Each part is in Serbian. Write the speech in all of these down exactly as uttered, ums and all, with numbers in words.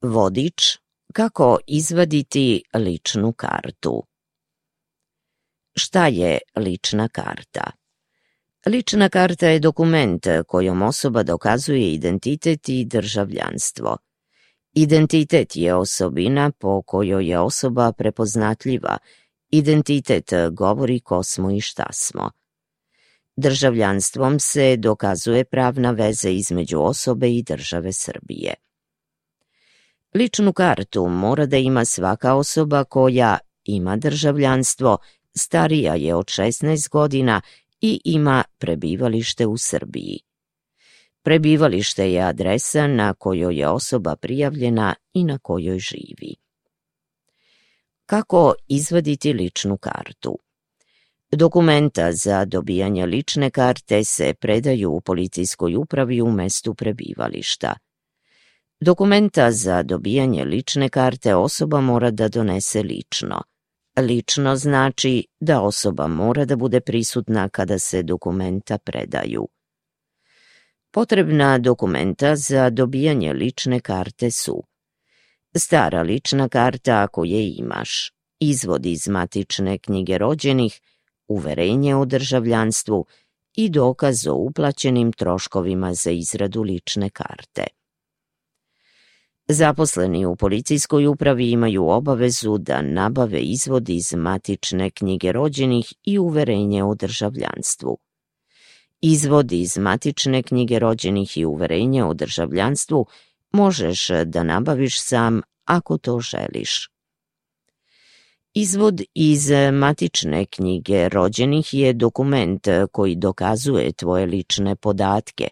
Vodič kako izvaditi ličnu kartu. Šta je lična karta? Lična karta je dokument kojom osoba dokazuje identitet i državljanstvo. Identitet je osobina po kojoj je osoba prepoznatljiva. Identitet govori ko smo i šta smo. Državljanstvom se dokazuje pravna veza između osobe i države Srbije. Ličnu kartu mora da ima svaka osoba koja ima državljanstvo, starija je od šesnaest godina i ima prebivalište u Srbiji. Prebivalište je adresa na kojoj je osoba prijavljena i na kojoj živi. Kako izvaditi ličnu kartu? Dokumenta za dobijanje lične karte se predaju u policijskoj upravi u mestu prebivališta. Dokumenta za dobijanje lične karte osoba mora da donese lično. Lično znači da osoba mora da bude prisutna kada se dokumenta predaju. Potrebna dokumenta za dobijanje lične karte su: stara lična karta ako je imaš, izvod iz matične knjige rođenih, uverenje o državljanstvu i dokaz o uplaćenim troškovima za izradu lične karte. Zaposleni u policijskoj upravi imaju obavezu da nabave izvod iz matične knjige rođenih i uverenje o državljanstvu. Izvod iz matične knjige rođenih i uverenje o državljanstvu možeš da nabaviš sam ako to želiš. Izvod iz matične knjige rođenih je dokument koji dokazuje tvoje lične podatke.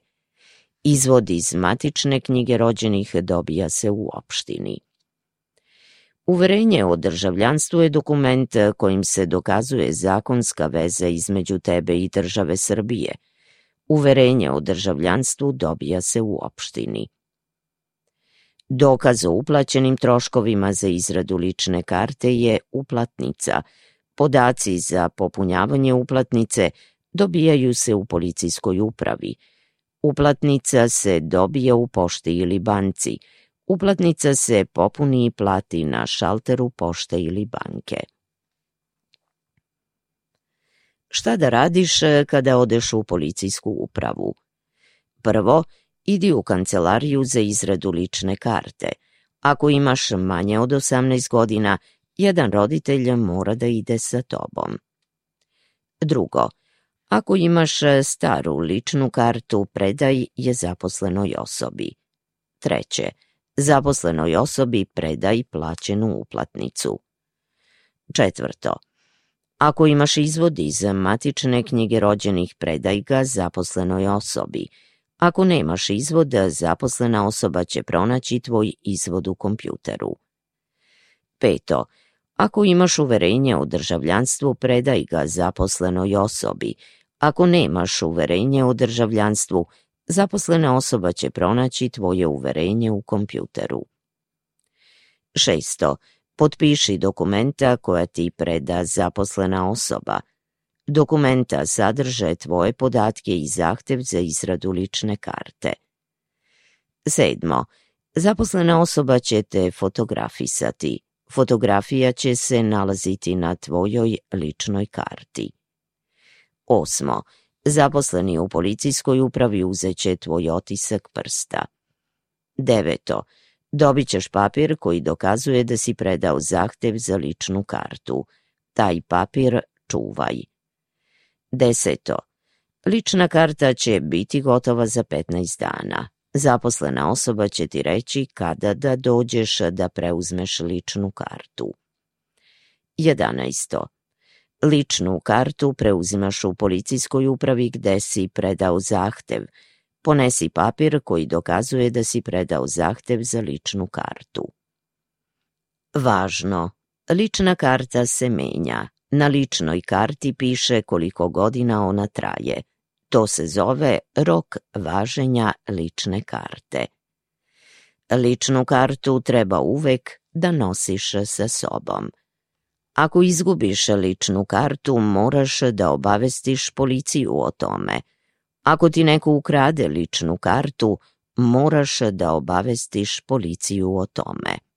Izvod iz matične knjige rođenih dobija se u opštini. Uverenje o državljanstvu je dokument kojim se dokazuje zakonska veza između tebe i države Srbije. Uverenje o državljanstvu dobija se u opštini. Dokaz o uplaćenim troškovima za izradu lične karte je uplatnica. Podaci za popunjavanje uplatnice dobijaju se u policijskoj upravi. Uplatnica se dobija u pošti ili banci. Uplatnica se popuni i plati na šalteru pošte ili banke. Šta da radiš kada odeš u policijsku upravu? Prvo, idi u kancelariju za izradu lične karte. Ako imaš manje od osamnaest godina, jedan roditelj mora da ide sa tobom. Drugo, ako imaš staru ličnu kartu, predaj je zaposlenoj osobi. Treće, zaposlenoj osobi predaj plaćenu uplatnicu. Četvrto, ako imaš izvod iz matične knjige rođenih, predaj ga zaposlenoj osobi. Ako nemaš izvod, zaposlena osoba će pronaći tvoj izvod u kompjuteru. Peto, ako imaš uverenje o državljanstvu, predaj ga zaposlenoj osobi. Ako nemaš uverenje o državljanstvu, zaposlena osoba će pronaći tvoje uverenje u kompjuteru. Šesto, potpiši dokumenta koja ti preda zaposlena osoba. Dokumenta sadrže tvoje podatke i zahtev za izradu lične karte. Sedmo, zaposlena osoba će te fotografisati. Fotografija će se nalaziti na tvojoj ličnoj karti. Osmo, zaposleni u policijskoj upravi uzet će tvoj otisak prsta. Deveto, dobit ćeš papir koji dokazuje da si predao zahtev za ličnu kartu. Taj papir čuvaj. Deseto, lična karta će biti gotova za petnaest dana. Zaposlena osoba će ti reći kada da dođeš da preuzmeš ličnu kartu. Jedanaesto, ličnu kartu preuzimaš u policijskoj upravi gde si predao zahtev. Ponesi papir koji dokazuje da si predao zahtev za ličnu kartu. Važno, lična karta se menja. Na ličnoj karti piše koliko godina ona traje. To se zove rok važenja lične karte. Ličnu kartu treba uvek da nosiš sa sobom. Ako izgubiš ličnu kartu, moraš da obavestiš policiju o tome. Ako ti neko ukrade ličnu kartu, moraš da obavestiš policiju o tome.